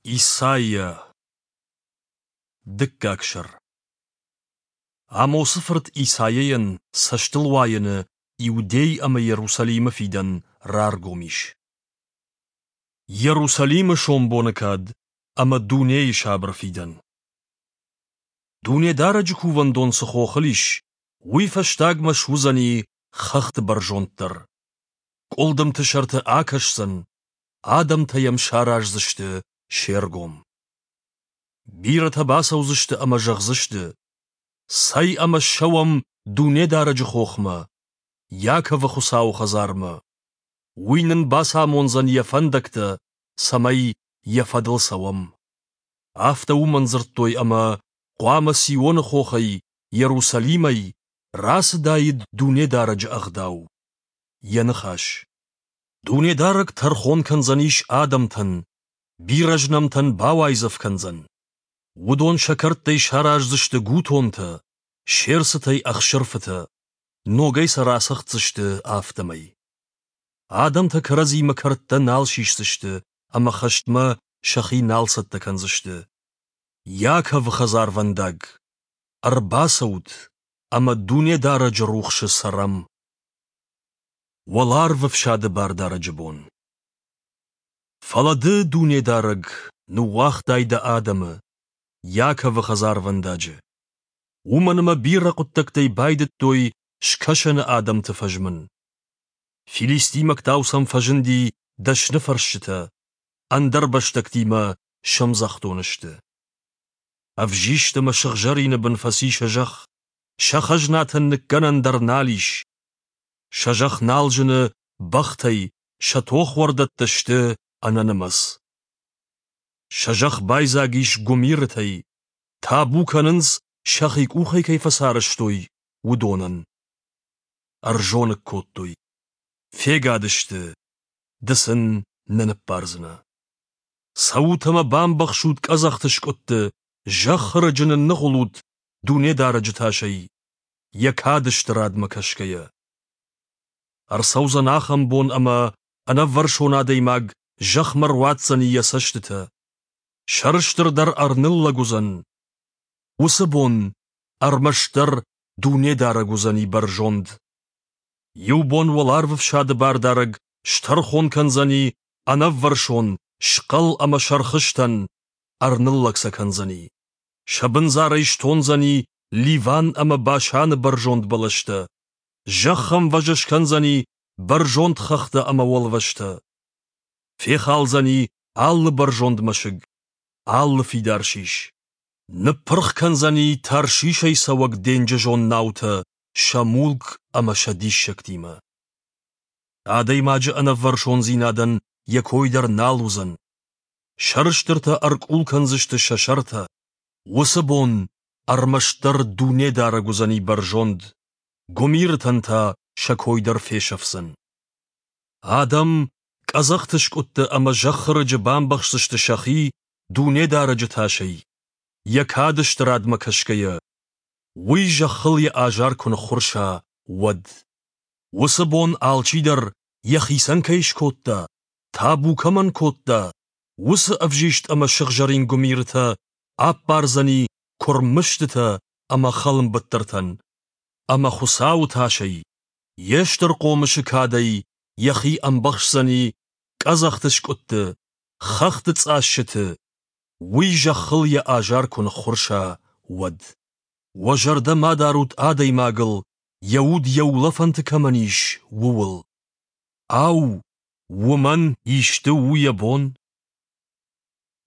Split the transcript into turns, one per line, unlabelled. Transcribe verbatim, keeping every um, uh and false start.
Исайа. Дыккаг сӕр. Амосы фырт Исайайӕн цӕстылуайӕны Иудей ӕмӕ Йерусалимы фидӕн раргом ис. Йерусалимы сомбоны кад ӕмӕ дунейы сабыр фидӕн. Дунедарӕджы кувӕндон цы хохыл ис, уый фӕстагмӕ суыдзӕни хӕхты бӕрзонддӕр. Къуылдымты сӕрты акӕсдзӕн, адӕмтӕ йӕм сараздзысты се ргом. Бирӕтӕ бацӕудзысты ӕмӕ зӕгъдзысты: «Цӕй ӕмӕ ссӕуӕм Дунедарӕджы хохмӕ, Иаковы Хуыцауы хӕдзармӕ. Уый нын бацамондзӕн йӕ фӕндӕгтӕ, цӕмӕй йӕ фӕдыл цӕуӕм». Афтӕ уымӕн дзырдтой, ӕмӕ хъуамӕ Сионы хохӕй, Иерусалимӕй, рацыдаид Дунедарӕджы ӕгъдау, йӕ ныхас. Дунедарӕг тӕрхон кӕндзӕнис адӕмтӕн, бирӕ знӕмтӕн бауайдзӕф кӕндзӕн. Уыдон сӕ кӕрдтӕй сараздзысты гутонтӕ, се рцытӕй ӕхсырфытӕ, ногӕй сӕ рацӕгъддзысты афтӕмӕй. Адӕмтӕ кӕрӕдзимӕ кӕрдтӕ нал сисдзысты ӕмӕ хӕстмӕ сӕхи нал цӕттӕ кӕндзысты. Иаковы хӕдзарвӕндаг, ӕрбацӕут ӕмӕ Дунедарӕджы рухсы цӕрӕм. Уӕларвы фсады Бардарӕджы бон. Фӕлӕ ды, Дунедарӕг, ныууагътай дӕ адӕмы, Иаковы хӕдзарвӕндаджы. Уымӕн ӕмӕ бирӕ хъуыддӕгтӕй байдыдтой Скӕсӕны адӕмты фӕзмын. Филистимӕгтау сӕм фӕзынди дӕсныфӕрсджытӕ, ӕндӕрбӕстӕгтимӕ сӕмдзӕхдон сты. Ӕвзист ӕмӕ сыгъзӕрины бын фӕци сӕ зӕхх, сӕ хӕзнатӕн ныккӕнӕн дӕр нал ис. Сӕ зӕхх нал зыны бӕхтӕй, сӕ тохуӕрдӕттӕ сты ӕнӕнымӕц. Сӕ зӕхх байдзаг ис гуымирытӕй, табу кӕнынц, сӕхи къухӕй кӕй фӕцарӕзтой, уыдонӕн. Ӕрзоныг кодтой, фегад сты, ды сын нӕ ныббардзынӕ. Цӕут ӕмӕ бамбӕхсут къӕдзӕхты скъуыдты, зӕххы рыджы нынныгъуылут Дунедарӕджы тасӕй, йӕ кады стырадмӕ кӕсгӕйӕ. Ӕрцӕудзӕн ахӕм бон, ӕмӕ ӕнӕввӕрсон адӕймаг зӕхмӕ руадздзӕни йӕ цӕстытӕ. Сӕрыстыр дӕр ӕрныллӕг уыдзӕн. Уыцы бон ӕрмӕстдӕр Дунедарӕг уыдзӕни бӕрзонд. Иу бон уӕларвы фсады Бардарӕг стӕрхон кӕндзӕни ӕнӕввӕрсон, схъӕл ӕмӕ сӕрхызтӕн, ӕрныллӕг сӕ кӕндзӕни. Сӕ бындзарӕй стондзӕни Ливан ӕмӕ Башаны бӕрзонд бӕлӕстӕ, зӕххӕмвӕз скӕндзӕни бӕрзонд хӕхтӕ ӕмӕ уӕлвӕзтӕ. Фехалдзӕни алы бӕрзонд мӕсыг, алы фидар сис. Ныппырх кӕндзӕни Таршишӕй цӕуӕг денджызон наутӕ сӕ мулк ӕмӕ сӕ диссӕгтимӕ. Адӕймаджы ӕнӕввӕрсондзинадӕн йӕ кой дӕр нал уыдзӕн. Сӕрыстыртӕ ӕркъул кӕндзысты сӕ сӕртӕ. Уыцы бон ӕрмӕстдӕр Дунедарӕг уыдзӕни бӕрзонд, гуымирытӕн та сӕ кой дӕр фесӕфдзӕн. Адӕм къӕдзӕхты скъуыдты ӕмӕ зӕххы рыджы бамбӕхсдзысты сӕхи Дунедарӕджы тасӕй, йӕ кады стырадмӕ кӕсгӕйӕ, уый зӕххыл йӕ азар куы ныххуырса, уӕд. Уыцы бон алчидӕр йӕхицӕн кӕй скодта, табу кӕмӕн кодта, уыцы ӕвзист ӕмӕ сыгъзӕрин гуымирытӕ аппардзӕни куырм мыстытӕ ӕмӕ хӕлынбыттыртӕн. Ӕмӕ Хуыцауы тасӕй, йе стыр хъомысы кадӕй йӕхи ӕмбӕхсдзӕни къӕдзӕхты скъуыдты, хӕхты цъассыты, уый зӕххыл йӕ азар куы ныххуырса, уӕд. Уӕ зӕрдӕ ма дарут адӕймагыл, йӕ уд йӕ улӕфӕнты кӕмӕн ис, ууыл. Ау, уымӕн исты у йӕ бон?